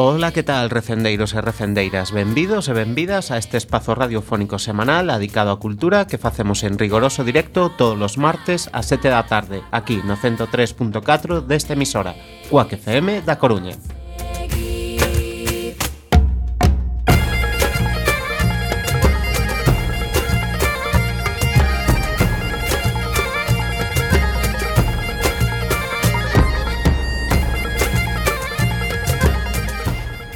Ola, que tal, recendeiros e recendeiras? Benvidos e benvidas a este espazo radiofónico semanal dedicado á cultura que facemos en rigoroso directo todos os martes a 7 da tarde, aquí no 103.4 desta emisora, Cuac FM da Coruña.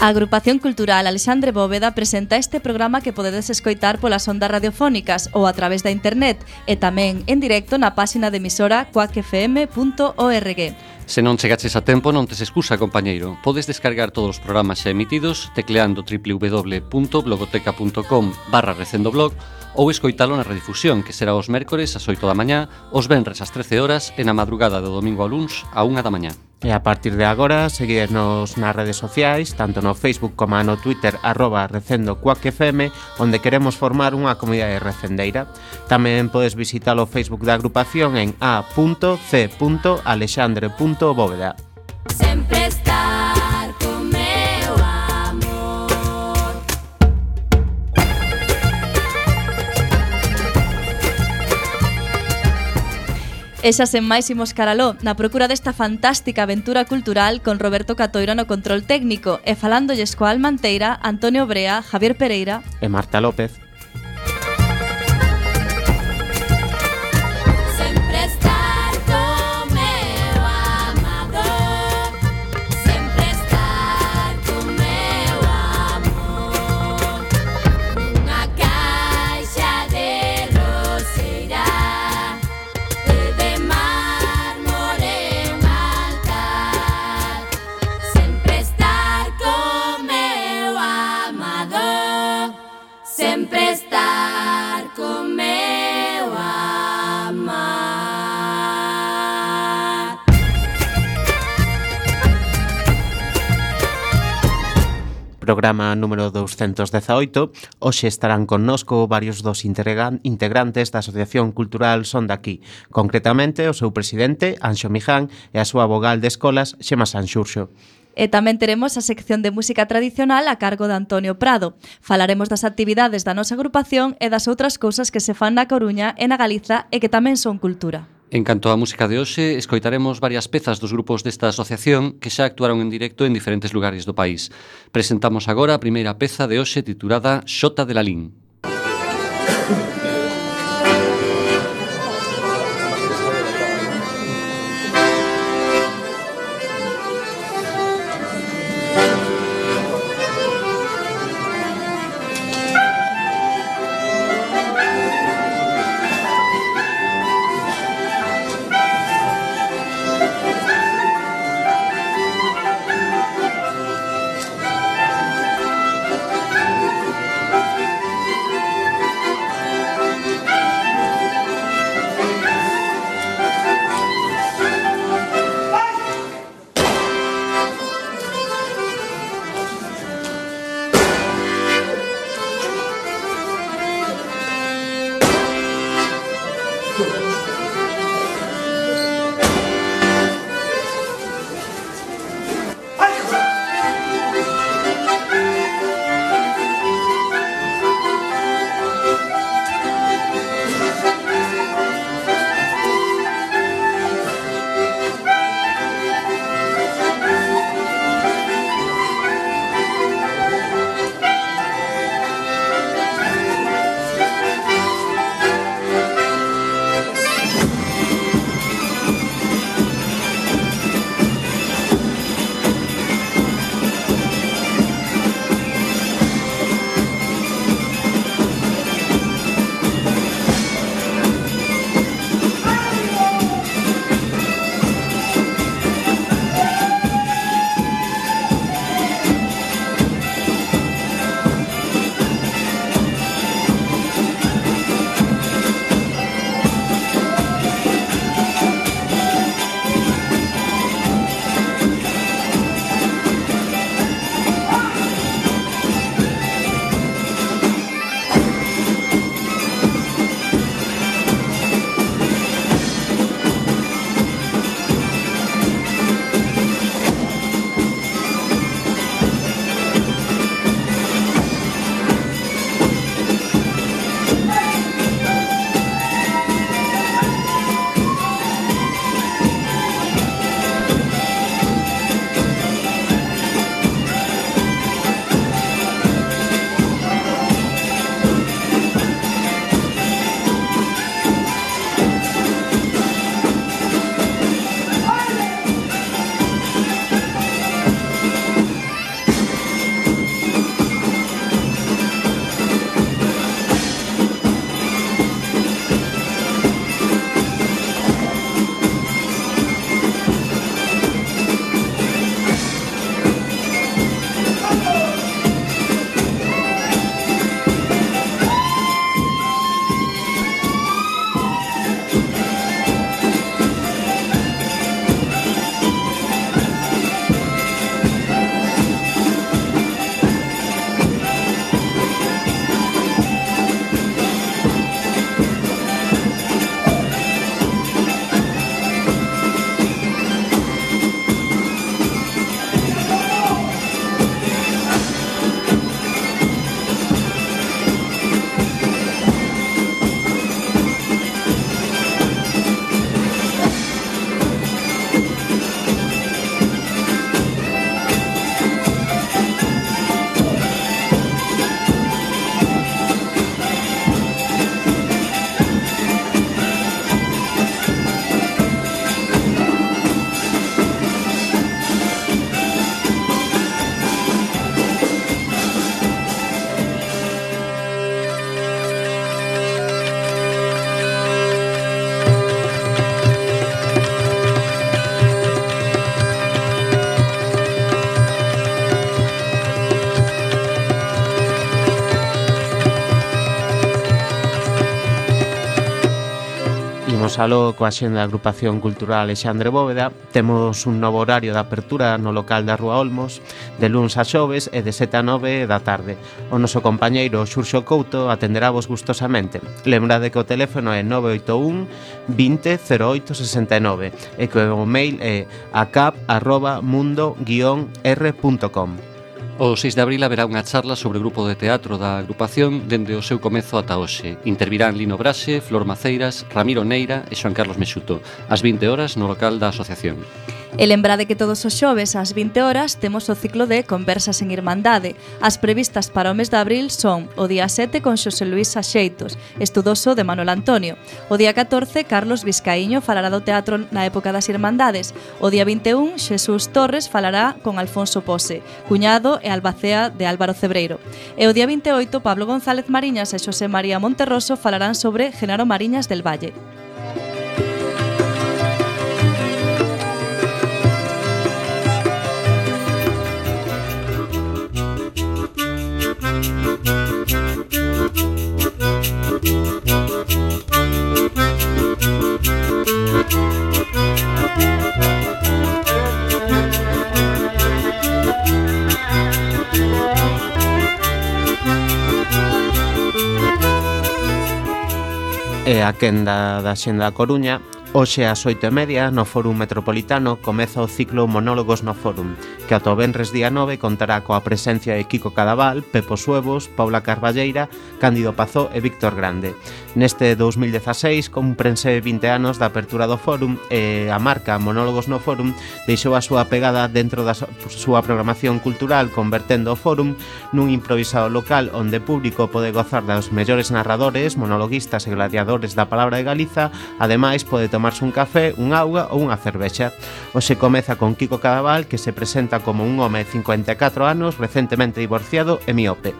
A Agrupación Cultural Alexandre Bóveda presenta este programa que podedes escoitar polas ondas radiofónicas ou a través da internet e tamén en directo na páxina de emisora cuacfm.org. Se non chegaches a tempo, non tes excusa, compañeiro. Podes descargar todos os programas xa emitidos tecleando www.blogoteca.com/recendoblog ou escoitalo na redifusión, que será os mércores ás 8 da mañá, os venres ás 13 horas e na madrugada do domingo ao luns á 1 da mañá. E a partir de agora, seguirnos nas redes sociais, tanto no Facebook como no Twitter, @RecendoCuacFM, onde queremos formar unha comunidade recendeira. Tamén podes visitar o Facebook da agrupación en a.c.alexandre.bóveda. Sempre estar con meu amor. E xa sen máis imos caraló, na procura desta fantástica aventura cultural con Roberto Catoira no control técnico e falándolles coa Almanteira, Antonio Brea, Javier Pereira E Marta López. Sempre estar con meu amador. Sempre estar con meu amor. Nunha caixa de roseira de mármore un altar. Sempre estar con meu amador. Sempre estar con meu amar. Programa número 218. Hoxe estarán connosco varios dos integrantes da Asociación Cultural Son de Aquí, concretamente o seu presidente, Anxo Miján, e a súa vogal de escolas, Xema Sanxurxo. E tamén teremos a sección de música tradicional a cargo de Antonio Prado. Falaremos das actividades da nosa agrupación e das outras cousas que se fan na Coruña e na Galiza e que tamén son cultura. En canto á música de hoxe, escoitaremos varias pezas dos grupos desta asociación que xa actuaron en directo en diferentes lugares do país. Presentamos agora a primeira peza de hoxe titulada Xota de Lalín. Imos aló coa xenda da agrupación cultural Alexandre Bóveda. Temos un novo horario de apertura no local da Rúa Olmos de luns a xoves e de 7 a 9 da tarde. O noso compañeiro Xurxo Couto atenderavos gustosamente. Lembrade que o teléfono é 981 20 08 69 e que o mail é acap@mundo-r.com. O 6 de abril haberá unha charla sobre o grupo de teatro da agrupación dende o seu comezo ata hoxe. Intervirán Lino Braxe, Flor Maceiras, Ramiro Neira e Xoan Carlos Mexuto, ás 20 horas no local da asociación. E lembrade que todos os xoves ás 20 horas temos o ciclo de Conversas en Irmandade. As previstas para o mes de abril son o día 7 con Xosé Luís Axeitos, estudoso de Manuel Antonio. O día 14, Carlos Vizcaíño falará do teatro na época das Irmandades. O día 21, Xesús Torres falará con Alfonso Pose, cuñado e albacea de Álvaro Cebreiro. E o día 28, Pablo González Mariñas e Xosé María Monterroso falarán sobre Genaro Mariñas del Valle. E a quenda da xenda da Coruña. Hoxe ás 8:30 no Fórum Metropolitano comeza o ciclo Monólogos no Fórum, que ata o venres día 9 contará coa presencia de Kiko Cadaval, Pepo Suevos, Paula Carballeira, Cándido Pazó e Víctor Grande. Neste 2016 cumprense 20 anos da apertura do Fórum e a marca Monólogos no Fórum deixou a súa pegada dentro da súa programación cultural, convertendo o Fórum nun improvisado local onde o público pode gozar dos mellores narradores, monologuistas e gladiadores da palabra de Galiza. Ademais pode tomarse un café, un auga ou unha cervexa. Hoxe comeza con Kiko Cadaval, que se presenta como un home de 54 anos, recentemente divorciado e miope.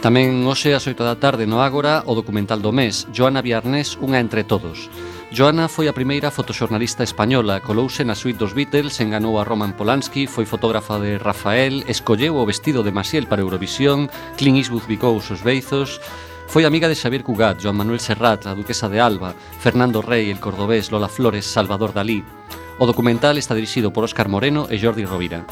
Tamén hoxe ás 8 da tarde no Ágora o documental do mes, Joana Viarnés, unha entre todos. Joana foi a primeira fotoxornalista española, colouse na suite dos Beatles, enganou a Roman Polanski, foi fotógrafa de Rafael, escolleu o vestido de Maciel para Eurovisión, Clint Eastwood bicou os veizos. Foi amiga de Xavier Cugat, Joan Manuel Serrat, a duquesa de Alba, Fernando Rey, el cordobés, Lola Flores, Salvador Dalí. O documental está dirixido por Óscar Moreno e Jordi Rovira.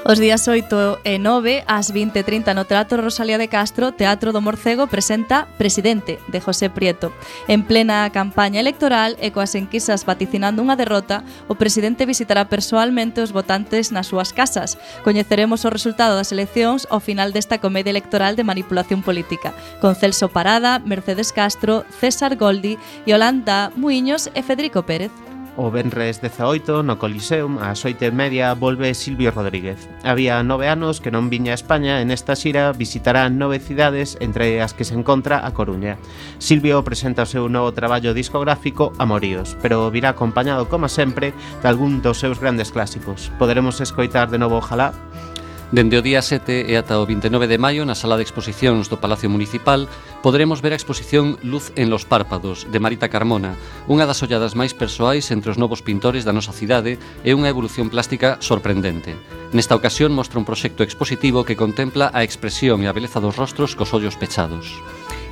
Os días 8 e 9, ás 20:30 no Teatro Rosalía de Castro, Teatro do Morcego presenta Presidente, de José Prieto. En plena campaña electoral e coas enquisas vaticinando unha derrota, o presidente visitará persoalmente os votantes nas súas casas. Coñeceremos o resultado das eleccións ao final desta comedia electoral de manipulación política, con Celso Parada, Mercedes Castro, César Goldi, Yolanda Muiños e Federico Pérez. O venres 18, no Coliseum, ás 8:30, volve Silvio Rodríguez. Había 9 anos que non viña a España e nesta xira visitará 9 cidades, entre as que se encontra a Coruña. Silvio presenta o seu novo traballo discográfico Amoríos, pero virá acompañado, como sempre, de algún dos seus grandes clásicos. Poderemos escoitar de novo Ojalá. Dende o día 7 e ata o 29 de maio, na sala de exposicións do Palacio Municipal, poderemos ver a exposición Luz en los párpados, de Marita Carmona, unha das olladas máis persoais entre os novos pintores da nosa cidade e unha evolución plástica sorprendente. Nesta ocasión mostra un proxecto expositivo que contempla a expresión e a beleza dos rostros cos ollos pechados.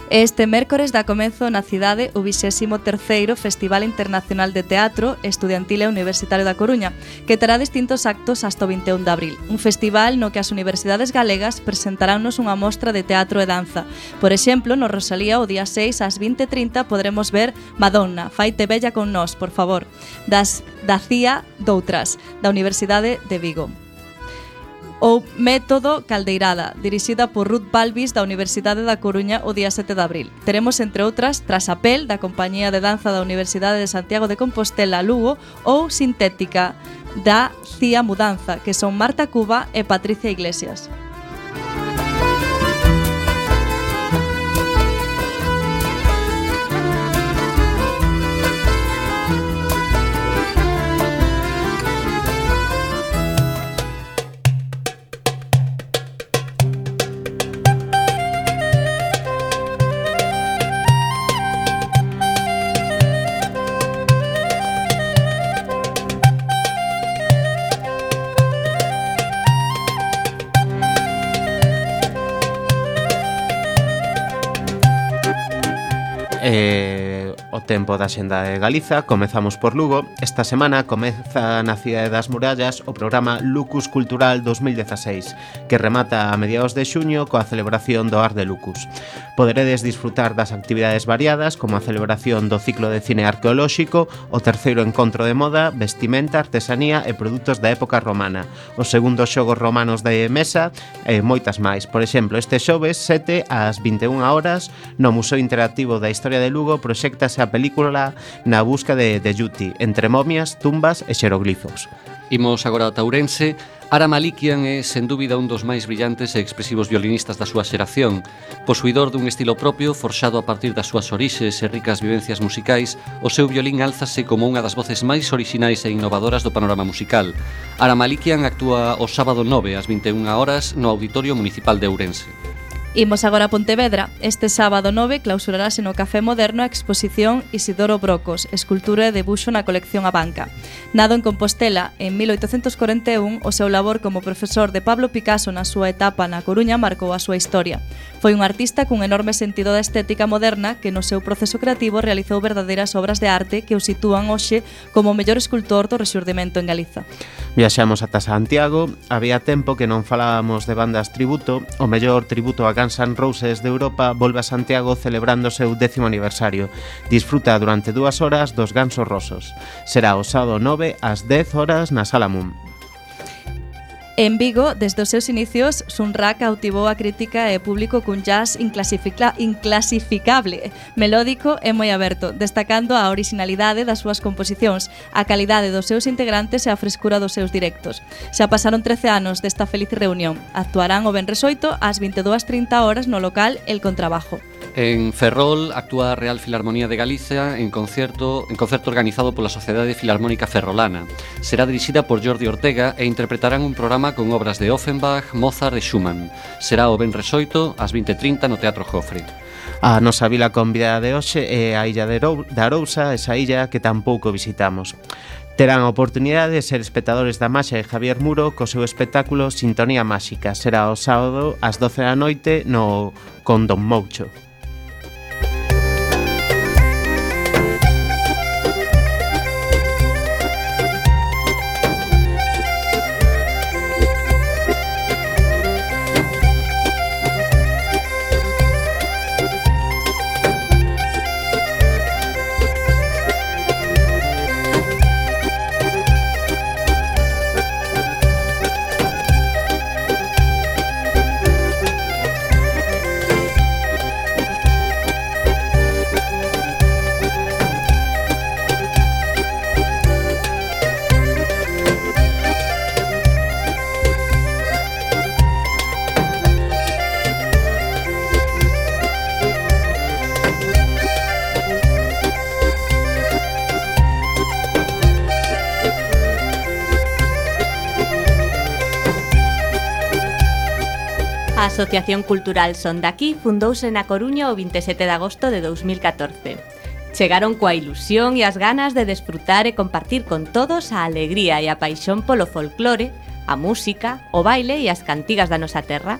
Este mércores dá comezo na cidade o 23º Festival Internacional de Teatro Estudiantil e Universitario da Coruña, que terá distintos actos hasta o 21 de abril. Un festival no que as universidades galegas presentaránnos unha mostra de teatro e danza. Por exemplo, no Rosalía, o día 6 ás 20:30 poderemos ver Madonna, Faite bella con nós, por favor, da CIA Doutras, da Universidade de Vigo. Ou Método Caldeirada, dirixida por Ruth Balbis da Universidade da Coruña o día 7 de abril. Teremos, entre outras, Trasapel, da Compañía de Danza da Universidade de Santiago de Compostela, Lugo, ou Sintética, da CIA Mudanza, que son Marta Cuba e Patricia Iglesias. o tempo da xenda de Galiza, comezamos por Lugo. Esta semana comeza na Cidade das Murallas o programa Lucus Cultural 2016, que remata a mediados de xuño coa celebración do Ar de Lucus. Poderedes disfrutar das actividades variadas, como a celebración do ciclo de cine arqueolóxico, o terceiro encontro de moda, vestimenta, artesanía e produtos da época romana, os segundos xogos romanos de mesa e moitas máis. Por exemplo, este xoves 7 ás 21 horas no Museo Interactivo da Historia de Lugo proxéctase a película Na busca de Yuti, entre momias, tumbas e xeroglifos. Imos agora a Ourense. Ara Malikian é, sen dúbida, un dos máis brillantes e expresivos violinistas da súa xeración. Posuidor dun estilo propio, forxado a partir das súas orixes e ricas vivencias musicais, o seu violín álzase como unha das voces máis orixinais e innovadoras do panorama musical. Ara Malikian actúa o sábado 9 ás 21 horas no Auditorio Municipal de Ourense. Imos agora a Pontevedra. Este sábado 9 clausurarase no Café Moderno a exposición Isidoro Brocos, escultura e debuxo na colección A Banca. Nado en Compostela en 1841, o seu labor como profesor de Pablo Picasso na súa etapa na Coruña marcou a súa historia. Foi un artista cun enorme sentido da estética moderna que no seu proceso creativo realizou verdadeiras obras de arte que o sitúan hoxe como o mellor escultor do rexurdimento en Galiza. Viaxamos ata Santiago. Había tempo que non falábamos de bandas tributo. O mellor tributo a Guns N' Roses de Europa volve a Santiago celebrando o seu 10º aniversario. Disfruta durante 2 horas dos Gansos Rosos. Será o sábado 9 ás 10 horas na Sala Moon. En Vigo, desde os seus inicios, Sunra cautivou a crítica e público cun jazz inclasificable, melódico e moi aberto, destacando a originalidade das súas composicións, a calidade dos seus integrantes e a frescura dos seus directos. Xa pasaron 13 anos desta feliz reunión. Actuarán o venres 8 ás 22:30 horas no local El Contrabajo. En Ferrol actúa a Real Filarmonía de Galicia en concerto organizado pola Sociedade Filarmónica Ferrolana. Será dirixida por Jordi Ortega e interpretarán un programa con obras de Offenbach, Mozart e Schumann. Será o venres 8 ás 20:30 no Teatro Jofre. A nosa vila convidada de hoxe é a illa de Arousa, esa illa que tampouco visitamos. Terán a oportunidade de ser espectadores da Maxa de Javier Muro co seu espectáculo Sintonía Máxica. Será o sábado ás 12 da noite no con Don Moucho. A Asociación Cultural Son Daqui fundouse na Coruña o 27 de agosto de 2014. Chegaron coa ilusión e as ganas de desfrutar e compartir con todos a alegría e a paixón polo folclore, a música, o baile e as cantigas da nosa terra.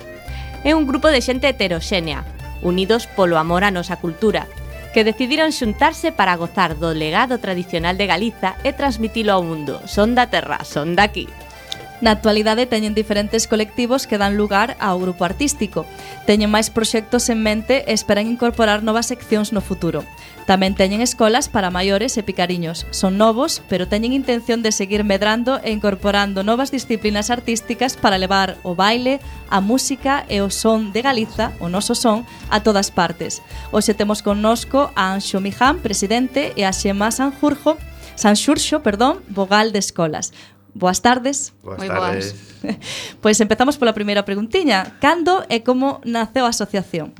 É un grupo de xente heteroxénea, unidos polo amor á nosa cultura, que decidiron xuntarse para gozar do legado tradicional de Galiza e transmitilo ao mundo. Son da terra, son daqui. Na actualidade teñen diferentes colectivos que dan lugar ao grupo artístico. Teñen máis proxectos en mente e esperan incorporar novas seccións no futuro. Tamén teñen escolas para maiores e picariños. Son novos, pero teñen intención de seguir medrando e incorporando novas disciplinas artísticas para levar o baile, a música e o son de Galiza, o noso son, a todas partes. Hoxe temos connosco a Anxo Miján, presidente, e a Xema Sanxurxo, vogal de escolas. Boas tardes. Boas tardes. Pois empezamos pola primeira preguntiña. Cando e como naceu a asociación?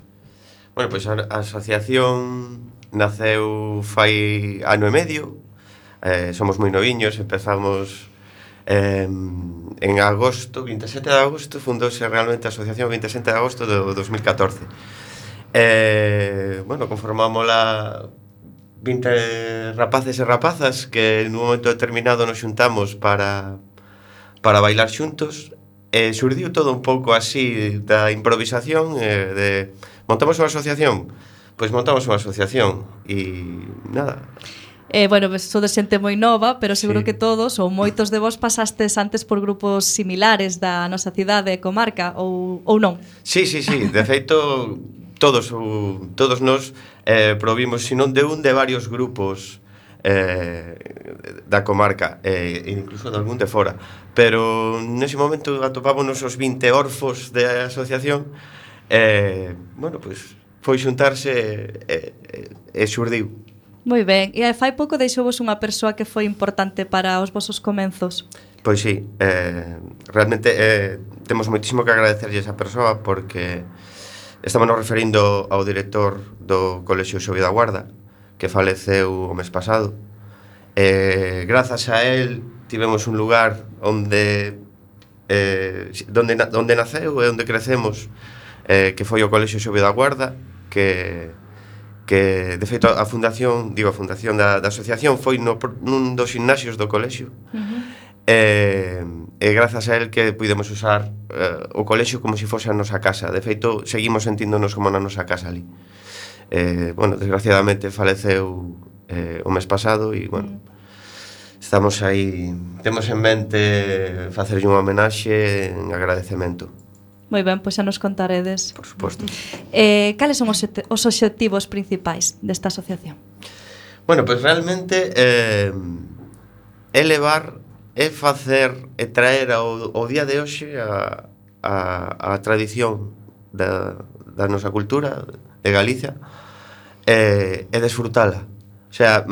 Bueno, pois a asociación naceu fai ano e medio. Somos moi noviños, empezamos en agosto, 27 de agosto, fundouse realmente a asociación 27 de agosto do 2014. Bueno, conformámola 20 rapaces e rapazas que nun momento determinado nos xuntamos para bailar xuntos e xurdiu todo un pouco así da improvisación de montamos unha asociación, Pois montamos unha asociación e nada. Bueno, pues sodes xente moi nova, pero seguro Sí. que todos ou moitos de vos pasastes antes por grupos similares da nosa cidade e comarca ou non. Sí. De feito, todos nós provimos, se non de un, de varios grupos da comarca, incluso de algún de fora. Pero nese momento atopámonos os 20 orfos da asociación. Bueno, pois foi xuntarse e xurdiu. Moi ben, e fai pouco deixouvos unha persoa que foi importante para os vosos comenzos. Pois sí, realmente temos moitísimo que agradecerlle a esa persoa porque estamos nos referindo ao director do Colexio Xove da Guarda, que faleceu o mes pasado. Grazas a él tivemos un lugar onde naceu e onde crecemos, que foi o Colexio Xove da Guarda, que de feito a fundación da asociación foi nun dos gimnasios do colexio. E grazas a él que pudemos usar o colexio como se fose a nosa casa. De feito, seguimos sentíndonos como na nosa casa ali. Bueno, desgraciadamente faleceu o mes pasado e, bueno, estamos aí, temos en mente facerlle unha homenaxe en agradecemento. Moi ben, pois xa nos contaredes. Por suposto. Cales son os obxectivos principais desta asociación? Bueno, pois realmente elevar e facer e traer ao día de hoxe a tradición da nosa cultura de Galicia e desfrutala. O sea,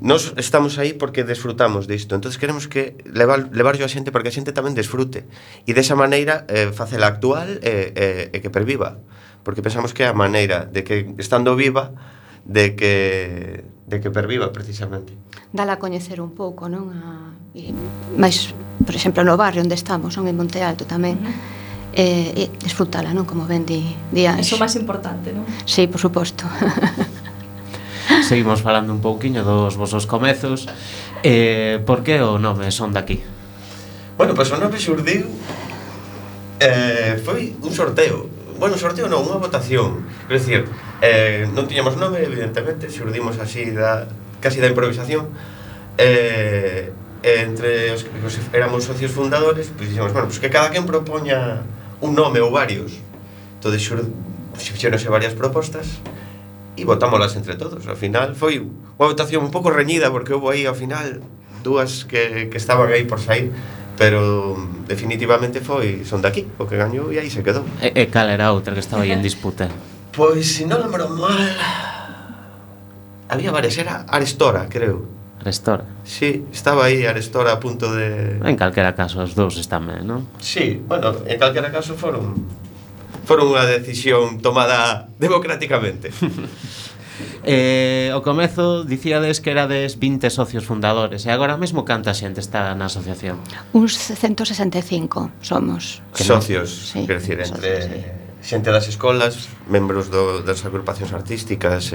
nós estamos aí porque desfrutamos disto. Entonces queremos que levarlo a xente porque a xente tamén desfrute e desa maneira facela actual e que perviva, porque pensamos que é a maneira de que estando viva de que perviva precisamente. Dala a coñecer un pouco, non? Mais, por exemplo, no barrio onde estamos, non, en Monte Alto tamén, e desfrutala, non? Como ben di Anxe. Iso máis importante, non? Sí, por suposto. Seguimos falando un pouquiño dos vosos comezos. Por que o nome Son daqui? Bueno, pois o nome xurdiu foi un sorteo. Bueno, sorteo non, unha votación. É dicir, non tiñamos nome, evidentemente, xurdimos así casi da improvisación. Entre os que éramos socios fundadores, pois dixemos, bueno, pois que cada quen propoña un nome ou varios. Entón, fixéronse varias propostas e votámolas entre todos. Ao final foi unha votación un pouco reñida porque houve aí ao final dúas que estaban aí por sair, pero definitivamente foi Son daqui o que gañou e aí se quedou. E cal era a outra que estaba aí en disputa? Pois, se non lembro mal, había varias, era Arestora, creo. Arestora. Sí, estaba aí Arestora a punto de... En calquera caso, os dous están ben, non? Sí, bueno, en calquera caso foron unha decisión tomada democráticamente. O comezo dicíades que erades 20 socios fundadores. E agora mesmo canta xente está na asociación? Uns 165 somos. Socios, Sí, quer decir, entre socios, xente das escolas, membros das agrupacións artísticas.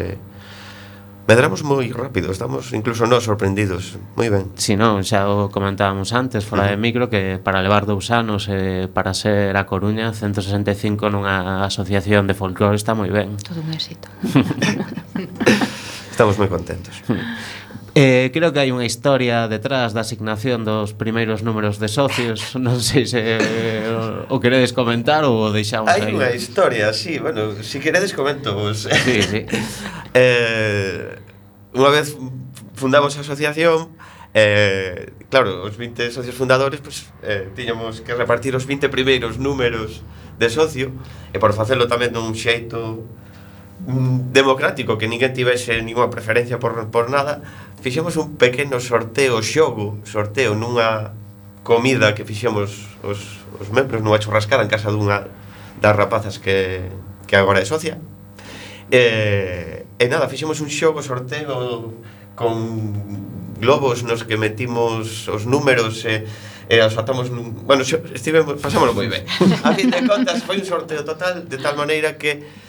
Medramos moi rápido, estamos incluso nós sorprendidos. Moi ben. Si non, xa o comentábamos antes fora de micro que para levar 2 anos para ser a Coruña 165 nunha asociación de folclore está moi ben. Todo un éxito. Estamos moi contentos. Creo que hai unha historia detrás da asignación dos primeiros números de socios. Non sei se o queredes comentar ou o deixamos aí. Hai unha historia, sí, bueno, si queredes comento vos. Sí. Unha vez fundamos a asociación, claro, os 20 socios fundadores, pues, tiñamos que repartir os 20 primeiros números de socio, e por facelo tamén dun xeito democrático, que ninguén tivese ninguna preferencia por nada, fixemos un pequeno sorteo nunha comida que fixemos os membros nunha churrascada en casa dunha das rapazas que agora é socia. E nada, fixemos un sorteo con globos nos que metimos os números e os atamos bueno, pasámoslo moi ben. A fin de contas foi un sorteo total, de tal maneira que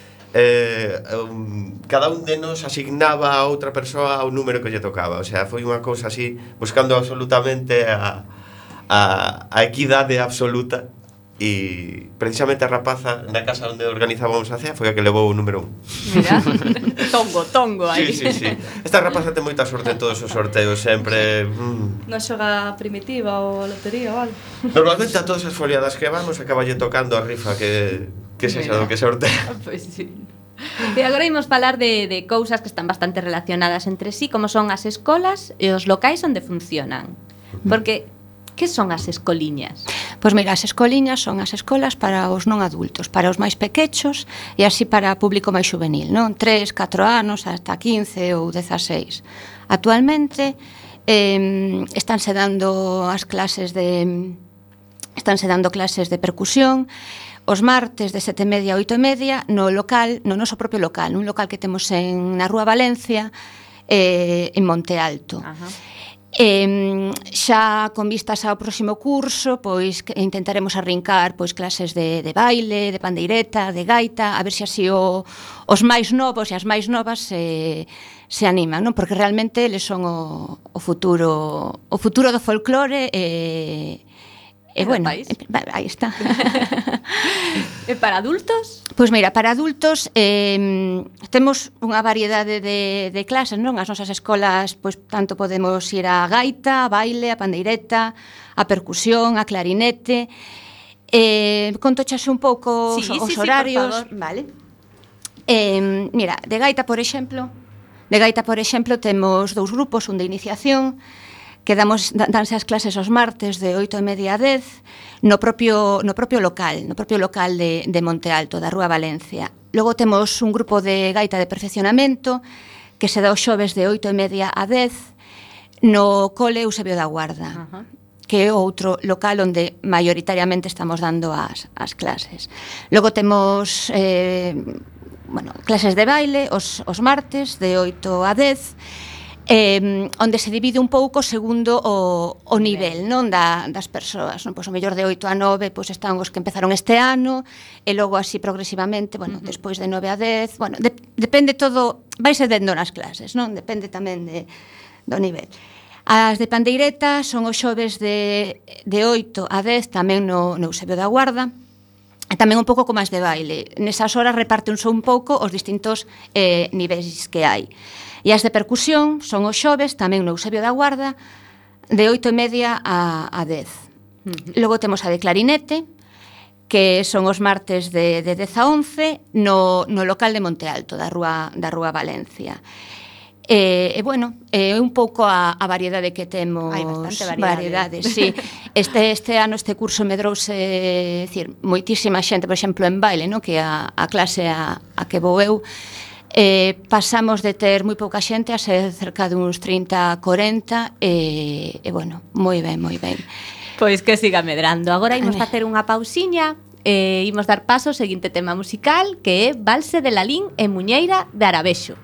cada un de nos asignaba a outra persoa o número que lle tocaba. O sea, foi unha cousa así, buscando absolutamente a equidade absoluta. e precisamente a rapaza na casa onde organizábamos a cea foi a que levou o número 1. Mira, tongo aí. Sí. Esta rapaza ten moita sorte en todos os sorteos, sempre... Non xoga primitiva ou a lotería ou algo. Normalmente a todas as foliadas que vamos acaballe tocando a rifa que sexa do que sortea. Pois sí. E agora imos falar de cousas que están bastante relacionadas entre sí, como son as escolas e os locais onde funcionan. Porque, que son as escoliñas? Pois mira, as escoliñas son as escolas para os non adultos, para os máis pequechos e así para o público máis juvenil, non? 3, 4 anos, hasta 15 ou 16. Actualmente estánse dando clases de percusión os martes de 7:30 a 8:30 no noso propio local, un local que temos na Rúa Valencia, en Monte Alto. Ajá. Xa con vistas ao próximo curso, pois intentaremos arrincar pois clases de baile, de pandeireta, de gaita, a ver se así os máis novos e as máis novas se animan, non? Porque realmente eles son o futuro do folclore e bueno, aí está. E para adultos? Pois mira, para adultos temos unha variedade de clases, non? As nosas escolas, pois tanto podemos ir a gaita, a baile, a pandeireta, a percusión, a clarinete. Contochase un pouco os horarios, por favor. vale? Mira, de gaita, por exemplo, temos 2 grupos, un de iniciación, que danse as clases os martes de 8:30 a 10 no propio local de Monte Alto, da Rúa Valencia. Logo temos un grupo de gaita de perfeccionamento que se dá os xoves de 8:30 a 10 no cole Eusebio da Guarda. Ajá. Que é outro local onde maioritariamente estamos dando as clases. Logo temos clases de baile os martes de 8 a 10, onde se divide un pouco segundo o nivel, non, das persoas, non? Pois o mellor de 8 a 9 pois están os que empezaron este ano e logo así progresivamente, despois de 9 a 10, depende todo, vaise dendo nas clases, non? Depende tamén do nivel. As de pandeireta son os xoves de 8 a 10 tamén no Eusebio da Guarda. E tamén un pouco como as de baile. Nesas horas repártense un pouco os distintos niveis que hai. E as de percusión son os xoves, tamén no Eusebio da Guarda, de 8:30 a 10. Logo temos a de clarinete, que son os martes de 10 a 11, no local de Monte Alto, da Rúa Valencia. Un pouco a variedade que temos. Hai bastante variedade. Sí. Este ano, este curso medrouse, moitísima xente, por exemplo, en baile, no? Que a clase a que vou eu, pasamos de ter moi pouca xente a ser cerca de uns 30, 40, moi ben. Pois que siga medrando. Agora imos facer unha pausiña e imos dar paso ao seguinte tema musical, que é Valse de Lalín e Muñeira de Arabexo.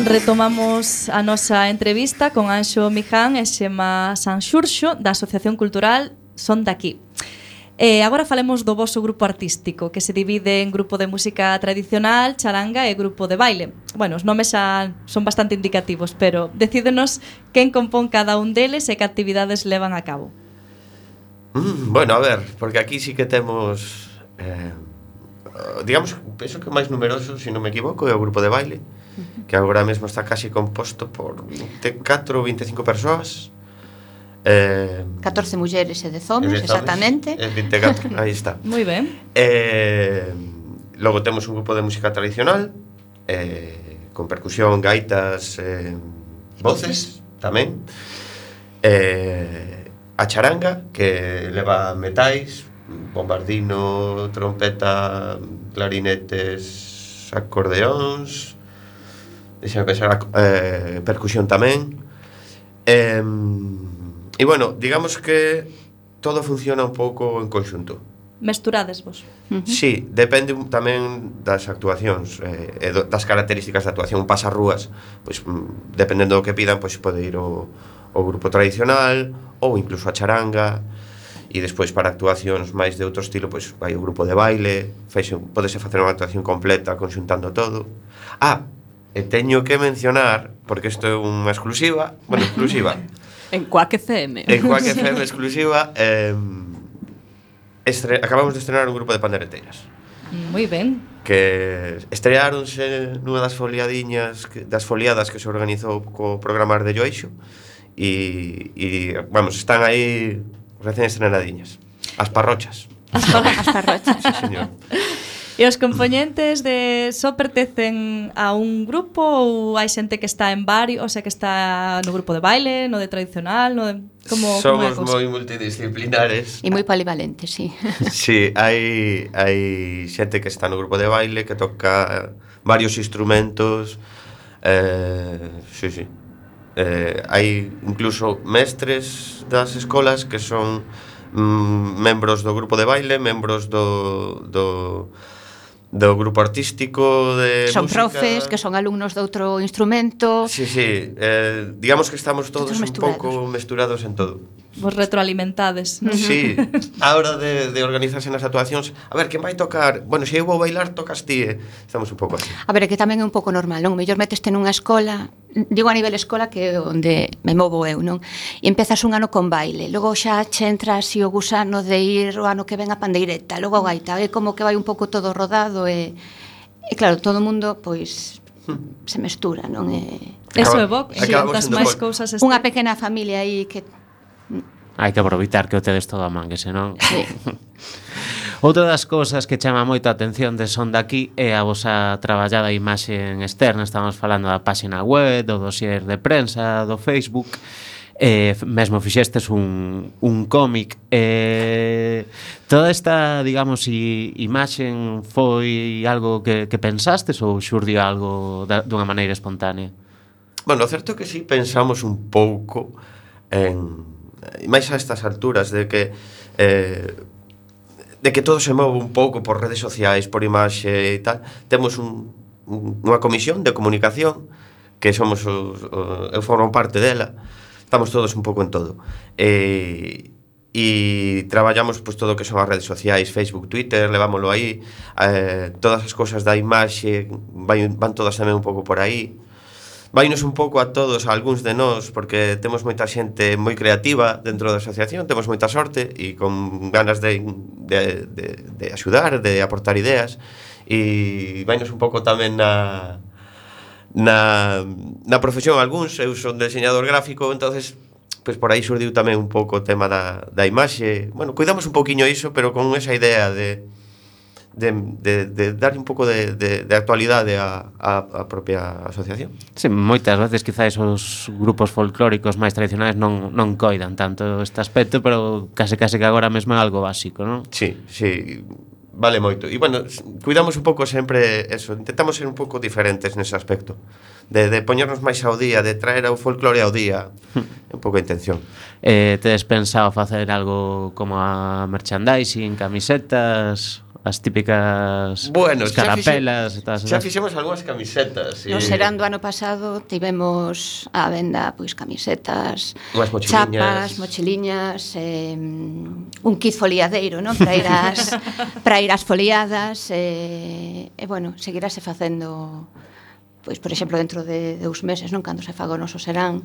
Retomamos a nosa entrevista con Anxo Miján e Xema Sanxurxo da Asociación Cultural Son Daqui. Agora falemos do voso grupo artístico, que se divide en grupo de música tradicional, charanga e grupo de baile. Bueno, os nomes xa son bastante indicativos, pero decídenos quen compón cada un deles e que actividades levan a cabo. Bueno, a ver, porque aquí sí que temos digamos, penso que o máis numeroso, se non me equivoco, é o grupo de baile, que agora mesmo está casi composto por 24 ou 25 persoas, 14 mulleres e 10 homes, exactamente. 24, aí está. Moi ben. Logo temos un grupo de música tradicional, con percusión, gaitas, voces tamén. A charanga, que leva metais, bombardino, trompeta, clarinetes, acordeóns, deixame pensar, percusión tamén. E bueno, digamos que todo funciona un pouco en conxunto. Mesturades vos. Sí, depende tamén das actuacións, das características da actuación. Un pasarrúas, pois, dependendo do que pidan, pois pode ir o grupo tradicional ou incluso a charanga. E despois para actuacións máis de outro estilo, pois vai o grupo de baile, podese facer unha actuación completa conxuntando todo. E teño que mencionar, porque isto é unha exclusiva, bueno, exclusiva. En Quack FM. En Quack FM exclusiva, acabamos de estrenar un grupo de pandereteiras. Moi ben. Que estreáronse nunha das foliadiñas, das foliadas que se organizou co programa de Joixo, e vamos, están aí recén estrenadiñas. As parrochas. As parrochas. Sí, señor. E os componentes só pertencen a un grupo ou hai xente que está en varios, o sea, que está no grupo de baile, no de tradicional, no de... Somos moi multidisciplinares. E moi polivalentes, sí. Sí, hai xente que está no grupo de baile, que toca varios instrumentos. Sí. Hai incluso mestres das escolas que son membros do grupo de baile, membros do grupo artístico de son música. Profes que son alumnos de outro instrumento. Sí, digamos que estamos todos un pouco mesturados en todo. Vos retroalimentades. Sí, a hora de organizarse nas actuacións, a ver, quen vai tocar? Bueno, se eu vou bailar, tocas ti, estamos un pouco así. A ver, que tamén é un pouco normal, non? Mellor meteste nunha escola, digo a nivel escola que é onde me movo eu, non? E empezas un ano con baile, logo xa che entra así o gusano de ir o ano que ven a pandeireta, logo a gaita, é como que vai un pouco todo rodado e claro, todo o mundo, pois, se mestura, non? Eso é bo, das máis cousas. Unha pequena familia aí que... Hai que aproveitar que o tedes todo a man, que senón... Sí. Outra das cousas que chama moito a atención de Son Daqui é a vosa traballada imaxe externa. Estamos falando da páxina web, do dossier de prensa, do Facebook. Mesmo fixestes un cómic. Toda esta, digamos, imaxe foi algo que pensastes ou xurdiu algo dunha maneira espontánea? Bueno, o certo é que sí pensamos un pouco máis a estas alturas de que todo se move un pouco por redes sociais, por imaxe e tal. Temos unha comisión de comunicación que somos eu formo parte dela. Estamos todos un pouco en todo. E traballamos pois todo o que son as redes sociais, Facebook, Twitter, levámoslo aí. Todas as cousas da imaxe van todas tamén un pouco por aí. Vainos un pouco a todos, a algúns de nós, porque temos moita xente moi creativa dentro da asociación, temos moita sorte e con ganas de axudar, de aportar ideas, e vainos un pouco tamén na profesión algúns. Eu son diseñador gráfico, entonces pois por aí surdiu tamén un pouco o tema da imaxe. Bueno, cuidamos un pouquiño iso, pero con esa idea de dar un pouco de actualidade á propia asociación. Sí, moitas veces quizás os grupos folclóricos máis tradicionais non coidan tanto este aspecto, pero case que agora mesmo é algo básico, non? Sí, vale moito. E bueno, cuidamos un pouco sempre eso, intentamos ser un pouco diferentes nese aspecto, de poñernos máis ao día, de traer o folclore ao día, un pouco a intención. Tedes pensado facer algo como a merchandising, camisetas As típicas Bueno, escarapelas e todas xa esas. fixemos algunhas camisetas. No serán do ano pasado tivemos á venda pois camisetas, Unhas mochiliñas. chapas, mochiliñas, un kit foliadeiro, non? Para ir ás foliadas e bueno, seguirase facendo pois por exemplo dentro de 2 meses, non, cando se faga o noso serán.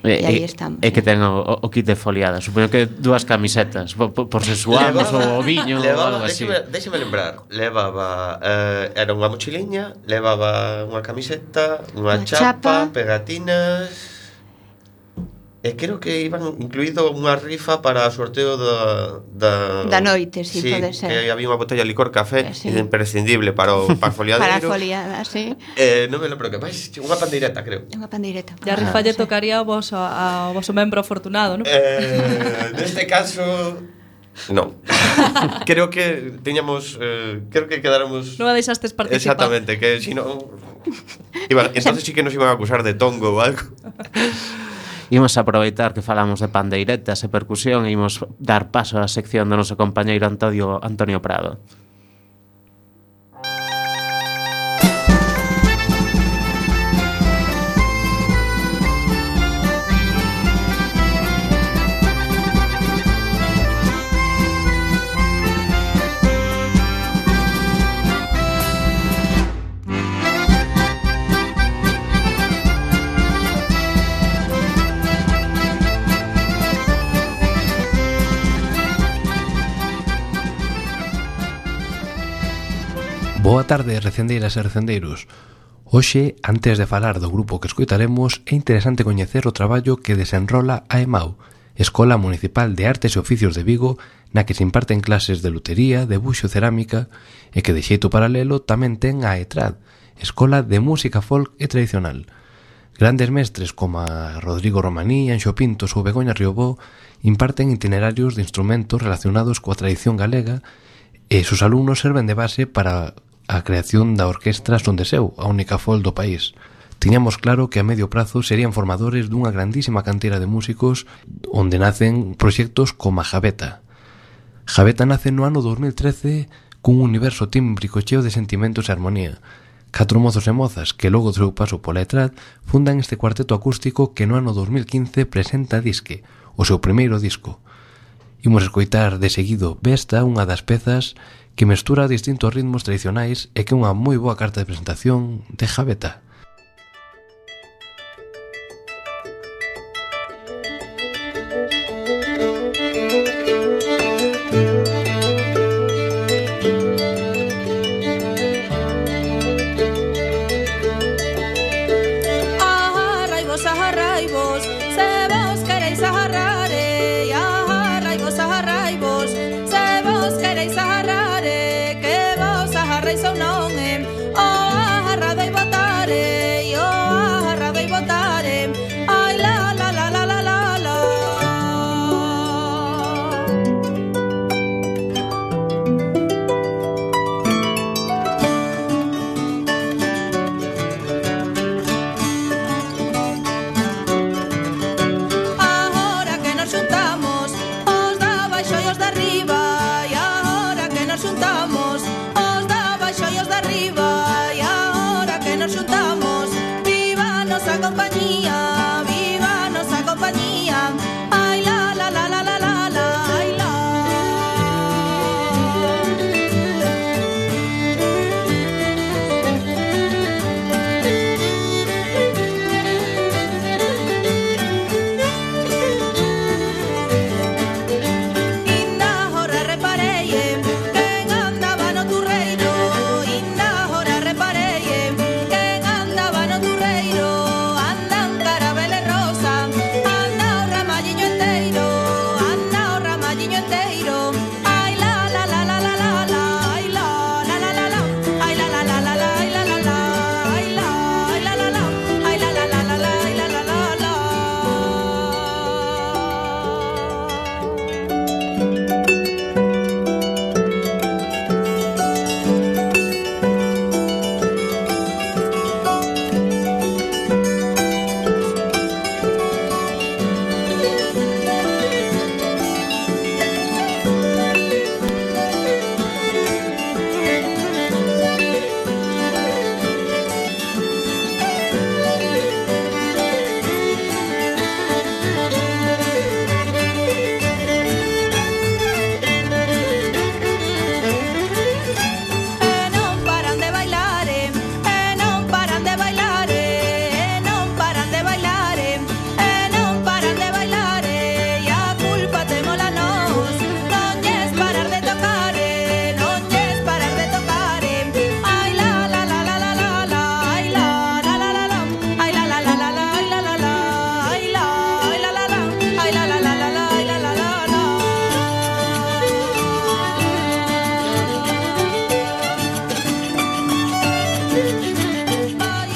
E aí estamos. E que ten o kit de foliada. Supoño que 2 camisetas por se suamos ou o viño ou algo así. Déxeme lembrar. Levaba era unha mochiliña, levaba unha camiseta, unha chapa, pegatinas. E creo que iban incluído unha rifa para o sorteo da noite, sí, pode ser. Que había unha botella de licor café Sí. imprescindible para o foliadeiro. Para a foliada, sí. Non me lembro que máis, unha pandeireta, creo. Unha pandeireta. E a rifa lle tocaría ao voso membro afortunado, non? Neste caso non. Creo que teñamos creo que quedáramos Non a deixastes participar. exactamente, que si non entonces sí que nos iban a acusar de tongo ou algo. Imos aproveitar que falamos de pandeiretas e percusión e imos dar paso á sección do noso compañeiro Antonio Prado. Boa tarde, recendeiras e recendeiros. Hoxe, antes de falar do grupo que escoitaremos, é interesante coñecer o traballo que desenrola a EMAU, Escola Municipal de Artes e Oficios de Vigo, na que se imparten clases de lutería, debuxo e cerámica, e que de xeito paralelo tamén ten a ETRAD, Escola de Música Folk e Tradicional. Grandes mestres como a Rodrigo Romaní, Anxo Pintos ou Begoña Riobó imparten itinerarios de instrumentos relacionados coa tradición galega e sus alumnos serven de base para a creación da Orquestra Son de Seu, a única folk do país. Tiñamos claro que a medio prazo serían formadores dunha grandísima cantera de músicos onde nacen proxectos como a Javeta. Javeta nace no ano 2013 cun universo tímbrico cheo de sentimentos e armonía. 4 mozos e mozas que logo do seu paso pola ETRAD fundan este cuarteto acústico que no ano 2015 presenta Disque, o seu primeiro disco. Imos escoitar de seguido Vesta, unha das pezas que mestura distintos ritmos tradicionais e que é unha moi boa carta de presentación de Javeta. Ajarraibos, se vos queréis ajarrare, ajarraibos, se vos queréis ajarrare, que vos ajarreis ou non, o ajarrado e botare, o ajarrado e botare, ai la la la la la la la. Agora que nos xuntamos, os da baixo e os de arriba, e agora que nos xuntamos, os da baixo e os de arriba, e agora que nos xuntamos, viva a nosa compañía, viva a nosa compañía, ai la la la la la la la, ai la. Inda hora reparei quen andaba no turreiro, inda hora reparei quen andaba no turreiro, andan cara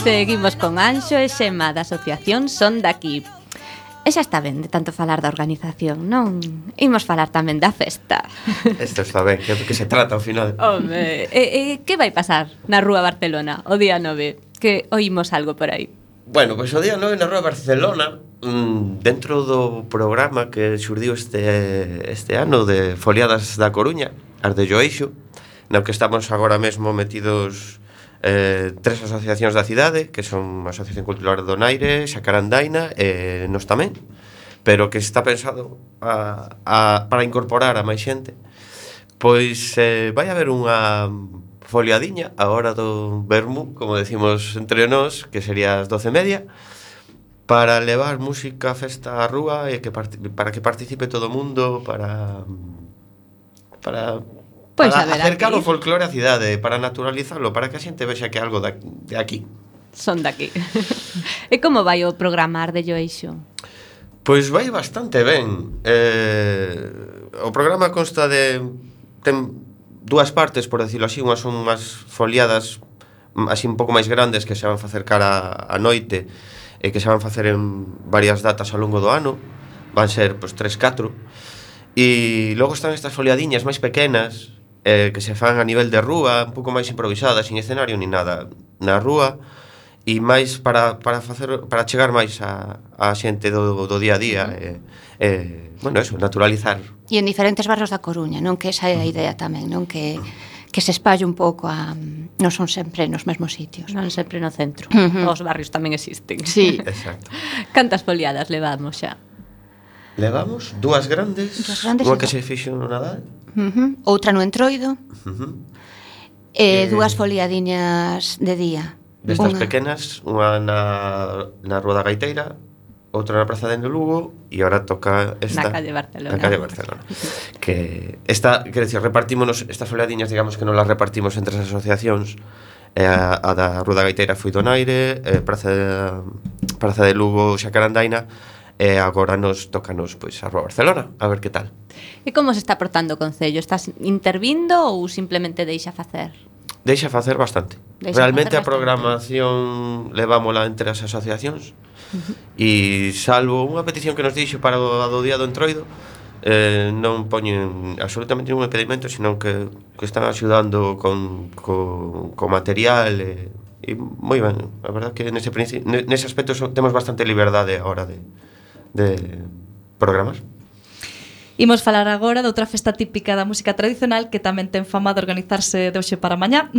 Seguimos con Anxo e Xema da Asociación Son Daqui. E xa está ben de tanto falar da organización, non? Imos falar tamén da festa. Isto está ben, que é do que se trata ao final. Home, que vai pasar na Rúa Barcelona o día 9? Que oímos algo por aí. Bueno, pois o día 9 na Rúa Barcelona, dentro do programa que xurdiu este ano de Foliadas da Coruña, as de Joeixo, no que estamos agora mesmo metidos tres asociacións da cidade, que son a Asociación Cultural Donaire, Xacarandaina e nos tamén, pero que está pensado para incorporar a máis xente. Pois vai haber unha foliadiña a hora do vermú, como decimos entre nós, que sería as 12:30, para levar música, festa á rúa e para que participe todo o mundo, para acercar o folclore á cidade, para naturalizarlo, para que a xente vexa que é algo de aquí. Son daqui. E como vai o programar de Joeixo? Pois vai bastante ben. O programa consta ten dúas partes, por decirlo así. Unhas son unhas foliadas así un pouco máis grandes que se van facer cara a noite e que se van facer en varias datas ao longo do ano. Van ser, pois, 3-4. E logo están estas foliadiñas máis pequenas que se fan a nivel de rúa, un pouco máis improvisadas, sin escenario ni nada, na rúa, e máis para chegar máis a xente do día a día, bueno, eso, naturalizar. E en diferentes barrios da Coruña, non? Que esa é a idea tamén, non? Que se espalle un pouco non son sempre nos mesmos sitios. Non sempre no centro. Os barrios tamén existen. Sí. Exacto. Cantas foliadas levamos xa? Levamos dúas grandes, unha que se fixo no Nadal, outra no Entroido, e dúas foliadiñas de día. Destas pequenas, unha na Rúa da Gaiteira, outra na Praza de Lugo, e agora toca esta na calle Barcelona. Na calle Barcelona. Que esta, quer decir, repartímonos estas foliadiñas, digamos que non las repartimos entre as asociacións. A da Rúa da Gaiteira foi Donaire, Praza de Lugo, Xacarandaina, e agora tócanos pois a Rúa Barcelona, a ver que tal. E como se está portando o Concello? Estás intervindo ou simplemente deixa facer? Deixa facer bastante. Realmente a programación levámola entre as asociacións, e salvo unha petición que nos dixo para o do día do Entroido, non poñen absolutamente ningún impedimento, senón que están axudando con material e moi ben. A verdad que nese aspecto temos bastante liberdade a hora de programar. Imos falar agora de outra festa típica da música tradicional que tamén ten fama de organizarse de hoxe para mañá,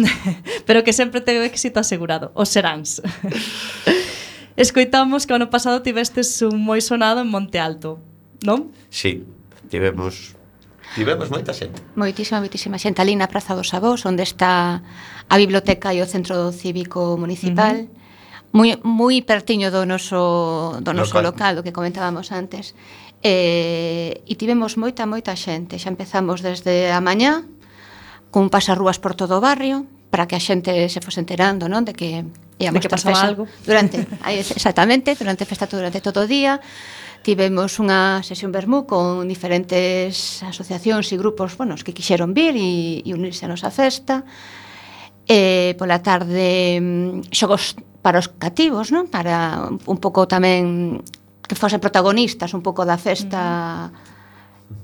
pero que sempre ten éxito asegurado, os seráns. Escoitamos que o ano pasado tivestes un moi sonado en Monte Alto, non? Sí, tivemos moita xente. Moitísima xente ali na Praza dos Avós, onde está a biblioteca e o centro cívico municipal, moi pertiño do noso local, do que comentábamos antes. E tivemos moita xente. Xa empezamos desde a mañá con pasarrúas por todo o barrio para que a xente se fose enterando, non? De que pasaba algo exactamente, durante a festa, durante todo o día. Tivemos unha sesión vermú con diferentes asociacións e grupos, bueno, os que quixeron vir e unirse a nosa festa. Pola tarde xogos para os cativos, non? Para un pouco tamén que fosen protagonistas un pouco da festa.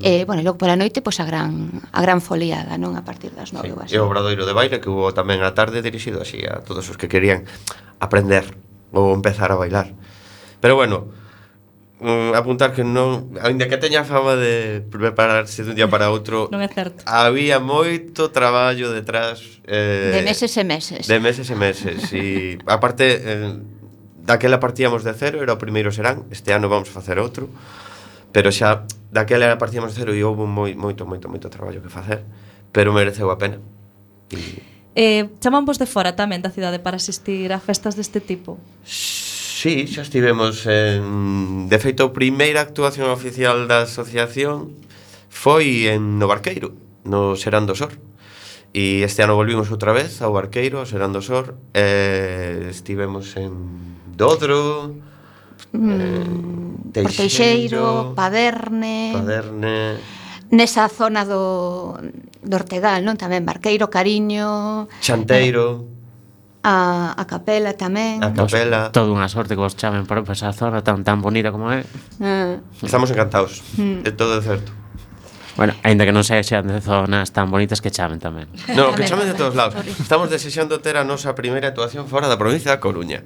Bueno, e logo pola noite pois a gran foliada, non? A partir das 9 ou así. E o obradoiro de baile que hubo tamén a tarde dirixido así a todos os que querían aprender ou empezar a bailar. Pero bueno, apuntar que non, aínda que teña fama de prepararse dun día para outro, non é certo. Había moito traballo detrás, de meses e meses. E aparte daquela partíamos de cero, era o primeiro serán. Este ano vamos a facer outro, pero xa daquela partíamos de cero e houve moito traballo que facer, pero mereceu a pena. Chaman vos de fora tamén da cidade para asistir a festas deste tipo? Sí, xa estivemos de feito, a primeira actuación oficial da asociación foi no Barqueiro, no Serán do Sor. E este ano volvimos outra vez ao Barqueiro, ao Serán do Sor. Estivemos en Dodro, Teixeiro, Paderne, nesa zona do Ortegal, non? Tamén Barqueiro, Cariño, Chanteiro, a capela tamén. A capela. Toda unha sorte que vos chamen para esa zona tan bonita como é. Estamos encantados. De todo é certo. Bueno, aínda que non sexan de zonas tan bonitas que chamen tamén. No, que chamen de todos lados. Estamos desexando ter a nosa primeira actuación fora da provincia da Coruña.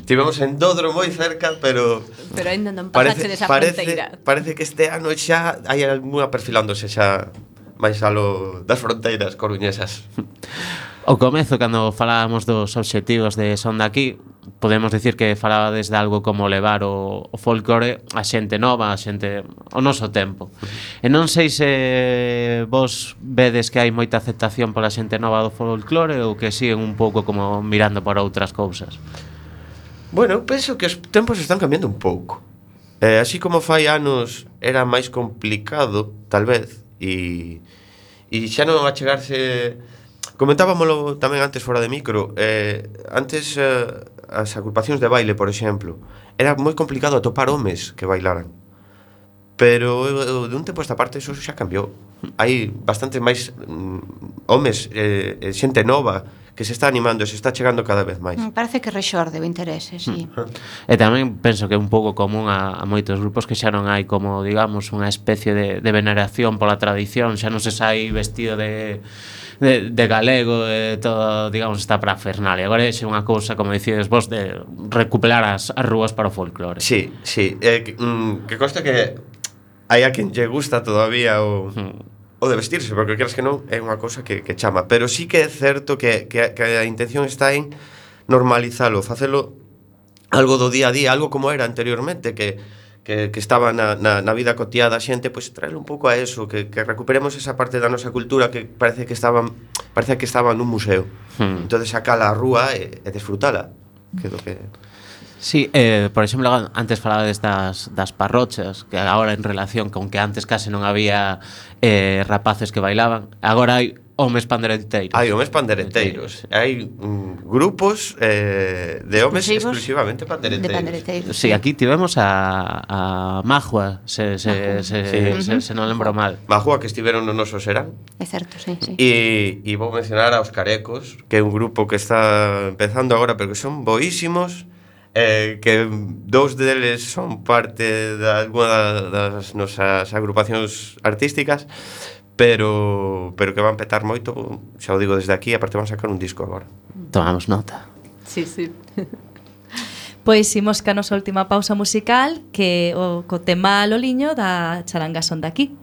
Tivemos en Dodro moi cerca, pero Pero ainda non pasaste desa fronteira. parece que este ano xa hai algunha perfilándose xa máis alo das fronteiras coruñesas. O comezo, cando falábamos dos obxectivos de Son de Aquí, podemos dicir que falaba desde algo como levar o folclore a xente nova, a xente o noso tempo. E non sei se vos vedes que hai moita aceptación pola xente nova do folclore ou que siguen un pouco como mirando por outras cousas. Bueno, penso que os tempos están cambiando un pouco. Así como fai anos era máis complicado, tal vez, e xa non achegarse... Comentábamolo tamén antes fora de micro. Antes as agrupacións de baile, por exemplo, era moi complicado atopar homes que bailaran. Pero de un tempo esta parte eso xa cambiou. Hai bastantes máis homes, xente nova que se está animando, se está chegando cada vez máis. Parece que rexorde o interese, sí. E tamén penso que é un pouco común a moitos grupos que xa non hai como, digamos, unha especie de veneración pola tradición, xa non se sai vestido de galego, todo, digamos, está para Fernalia. Agora é unha cousa, como dicides vos, de recuperar as rúas para o folclore. Sí, sí. Que consta que hai a quen lle gusta todavía o de vestirse, porque queras que non, é unha cousa que chama. Pero sí que é certo que a intención está en normalizalo, facelo algo do día a día, algo como era anteriormente, que estaba na vida cotiá da xente, pois traerlo un pouco a eso, que recuperemos esa parte da nosa cultura que parece que estaba nun museo. Entonces sacala á rúa e desfrutala, que é do que... Sí, por exemplo, antes falabades das parrochas, que agora en relación con que antes case non había rapaces que bailaban, agora hai homes pandereteiros. Hai homes pandereteiros. Hai grupos de homes exclusivamente pandereteiros. Sí, aquí tivemos a Majua, se non lembro mal. Majua, que estiveron no noso Serán. É certo, sí. E vou mencionar aos Carecos, que é un grupo que está empezando agora, pero que son boísimos, que dous deles son parte de alguna das nosas agrupacións artísticas, pero que van petar moito, xa o digo desde aquí, aparte van sacar un disco agora. Tomamos nota. Sí, sí. Pois imos ca nosa última pausa musical, que o co tema Loliño da charanga Son de Aquí.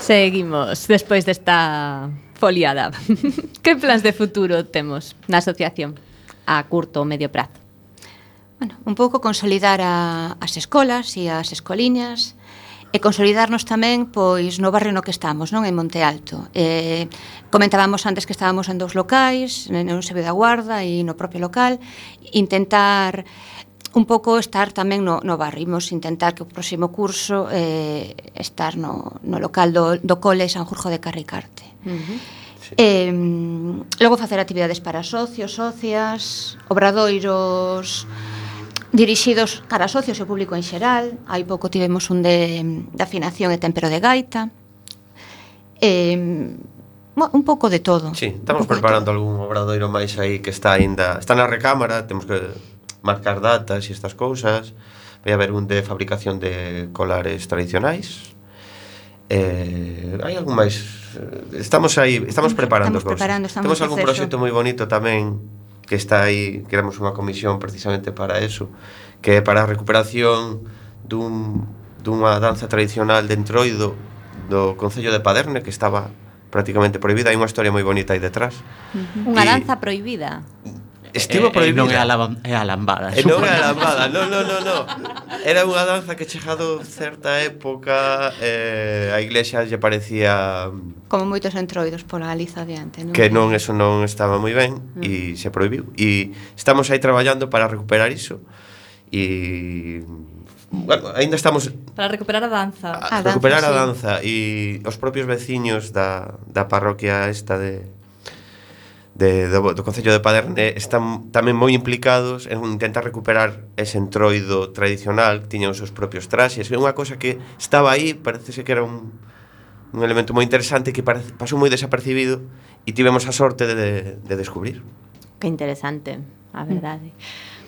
Seguimos despois desta foliada. Que plans de futuro temos na asociación a curto ou medio prazo? Bueno, un pouco consolidar as escolas e as escoliñas e consolidarnos tamén pois no barrio no que estamos, non, en Monte Alto. Comentábamos antes que estábamos en 2 locais, no Eusebio da Guarda e no propio local, intentar un pouco estar tamén no barrio. Imos intentar que o próximo curso estar no local do cole San Jorge de Carricarte. Logo facer actividades para socios, socias, obradoiros dirixidos cara a socios e o público en xeral. Hai pouco tivemos un de afinación e tempero de gaita. Un pouco de todo. Sí, estamos preparando algún obradoiro máis aí que está na recámara, temos que marcar datas e estas cousas. Vai haber un de fabricación de colares tradicionais. Hai algún máis. Estamos preparando cousas. Temos algún proxecto moi bonito tamén que está aí, queremos unha comisión precisamente para eso, que é para a recuperación dunha danza tradicional de Entroido do Concello de Paderne, que estaba prácticamente prohibida. Hai unha historia moi bonita aí detrás. Unha danza prohibida. Estivo prohibida. Non é a lambada. Non é a lambada, non. Era unha danza que chegado certa época a iglesia lle parecía como moitos entroidos pola Galiza adiante, non? Que non, eso non estaba moi ben e se prohibiu. E estamos aí traballando para recuperar iso. E bueno, ainda estamos para recuperar a danza. Recuperar a danza e os propios veciños da parroquia esta do Concello de Paderne están tamén moi implicados en intentar recuperar ese entroido tradicional. Tiñan os seus propios traxes. É unha cosa que estaba aí, parece que era un elemento moi interesante que pasou moi desapercibido e tivemos a sorte de descubrir. Que interesante, a verdade.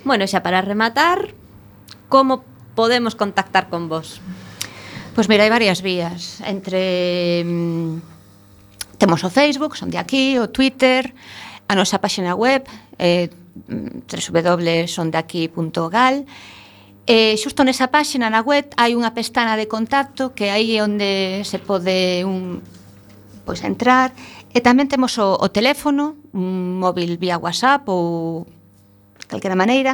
Bueno, xa para rematar, como podemos contactar con vos? Pois mira, hai varias vías. Temos o Facebook, son de aquí, o Twitter, a nosa páxina web, www.sondeaqui.gal. Xusto nesa páxina na web hai unha pestana de contacto que aí é onde se pode pois entrar, e tamén temos o teléfono, un móvil vía WhatsApp ou de calquera maneira,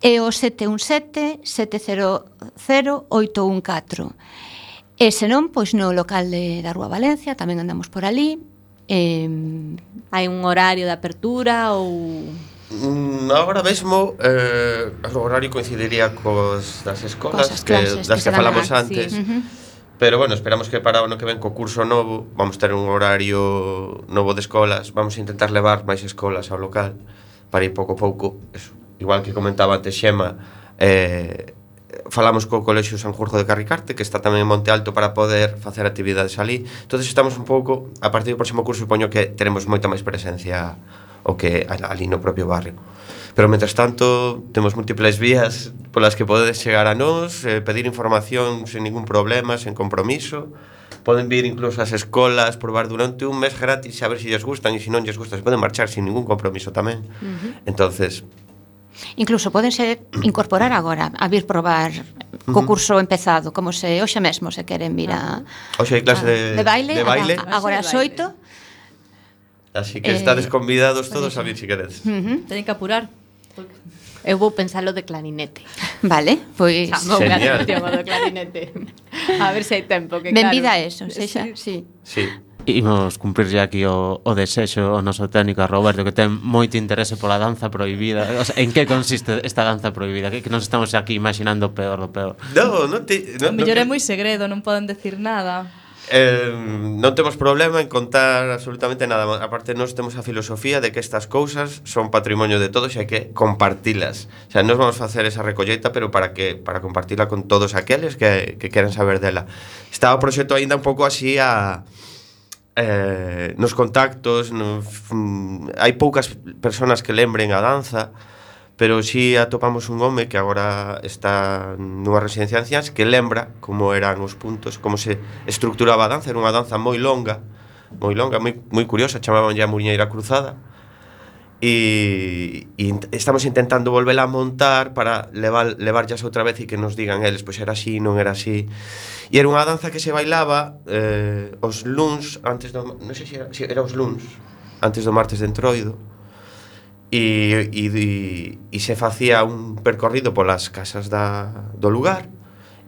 é o 717-700-814. E senón, pois no local da Rúa Valencia tamén andamos por ali. Hai un horario de apertura ou... Agora mesmo o horario coincidiría das escolas das que falamos antes, pero bueno, esperamos que para o ano que ven co curso novo vamos ter un horario novo de escolas. Vamos a intentar levar máis escolas ao local para ir pouco a pouco. Eso, igual que comentaba antes Xema, falamos co Colexio San Jorge de Carricarte, que está tamén en Monte Alto, para poder facer actividades ali. Entonces estamos un pouco, a partir do próximo curso supoño que teremos moita máis presencia o que ali no propio barrio. Pero mentres tanto temos múltiples vías polas que podedes chegar a nós, pedir información sin ningún problema, sen compromiso. Poden vir incluso ás escolas, probar durante un mes gratis, a ver se lles gustan, e se non lles gustan se poden marchar sin ningún compromiso tamén. Entonces incluso podense incorporar agora a vir probar co curso empezado, como se hoxe mesmo se queren vir a hoxe hai clase de baile agora as 8. Así que estades convidados todos a vir se queredes. Teñen que apurar. Eu vou pensalo de clarinete. Vale, pois genial. Do clarinete. A ver se hai tempo que benvida claro. a eso, sexa, sí. Imos cumprirlle aquí o desexo o noso técnico a Roberto, que ten moito interese pola danza prohibida. O sea, en que consiste esta danza prohibida? Que nos estamos aquí imaginando peor do peor. O mellor é moi segredo, non poden decir nada. Non temos problema en contar absolutamente nada. Aparte, nós temos a filosofía de que estas cousas son patrimonio de todos e hai que compartilas. O sea, nós vamos facer esa recolleita, pero para compartila con todos aqueles que queren saber dela. Está o proxecto aínda un pouco así nos contactos, hai poucas persoas que lembren a danza, pero si atopamos un home que agora está nunha residencia de anciáns que lembra como eran os puntos, como se estructuraba a danza. Era unha danza moi longa, moi curiosa, chamaban ya Muñeira Cruzada, e estamos intentando volvela a montar para levar ya outra vez e que nos digan eles, pois era así, non era así. E era unha danza que se bailaba os luns antes do... Non sei se era os luns antes do martes de Entroido. E se facía un percorrido polas casas do lugar.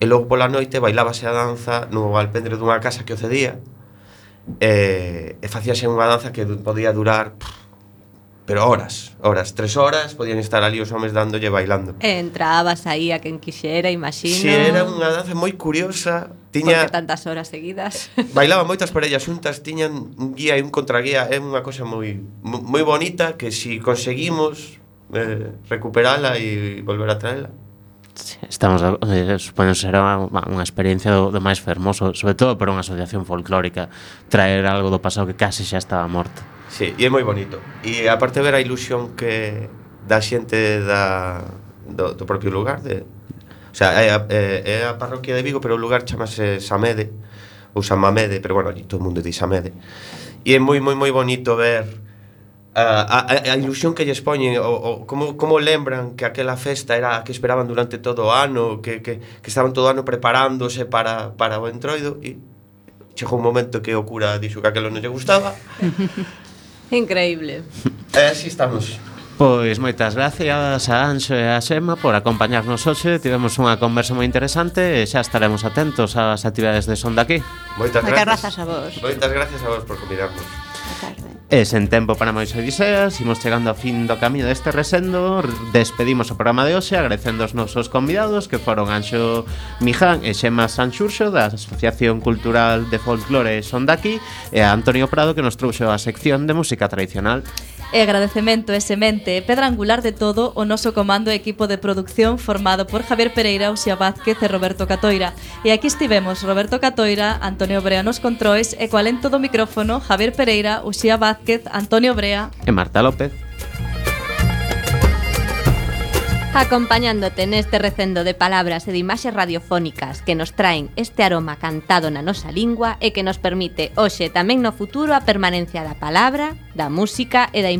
E logo pola noite bailábase a danza no alpendre dunha casa que o cedía. E facíase unha danza que podía durar pero horas, 3 horas podían estar ali os homes dándolle bailando. Entrabas aí a quen quixera, imagino. Si, era unha danza moi curiosa, tiña porque tantas horas seguidas. Bailaban moitas parellas xuntas, tiñan un guía e un contraguía, é unha cosa moi bonita que si conseguimos recuperala e volver a traela. Estamos, supoño ser unha experiencia do máis fermoso, sobre todo para unha asociación folclórica, traer algo do pasado que case xa estaba morto. Sí, e é moi bonito. E aparte ver a ilusión que da xente do propio lugar o sea, é a parroquia de Vigo, pero o lugar chamase Samede ou San Mamede, pero bueno, allí todo o mundo di Samede. E é moi bonito ver a ilusión que lles poñen, como lembran que aquela festa era a que esperaban durante todo o ano, que estaban todo o ano preparándose para o Entroido, e chegou un momento que o cura dixo que aquilo non lle gustaba. Increíble. Así estamos. Pois moitas gracias a Anxo e a Xema por acompañarnos hoxe. Tivemos unha conversa moi interesante e xa estaremos atentos ás actividades de Son de Aquí. Moitas grazas a vos. Moitas gracias a vos por convidarnos. E sen tempo para máis odiseas, imos chegando ao fin do camiño deste resendo. Despedimos o programa de hoxe agradecendo os nosos convidados, que foron Anxo Miján e Xema Sanxurxo da Asociación Cultural de Folclore Son de Aquí, e a Antonio Prado, que nos trouxo a sección de música tradicional. E agradecemento e semente, pedra angular de todo, o noso comando e equipo de producción formado por Javier Pereira, Uxía Vázquez e Roberto Catoira. E aquí estivemos Roberto Catoira, Antonio Brea nos controis e coa lento do micrófono Javier Pereira, Uxía Vázquez, Antonio Brea e Marta López. Acompañándote neste recendo de palabras e de imaxes radiofónicas que nos traen este aroma cantado na nosa lingua e que nos permite hoxe tamén no futuro a permanencia da palabra, da música e da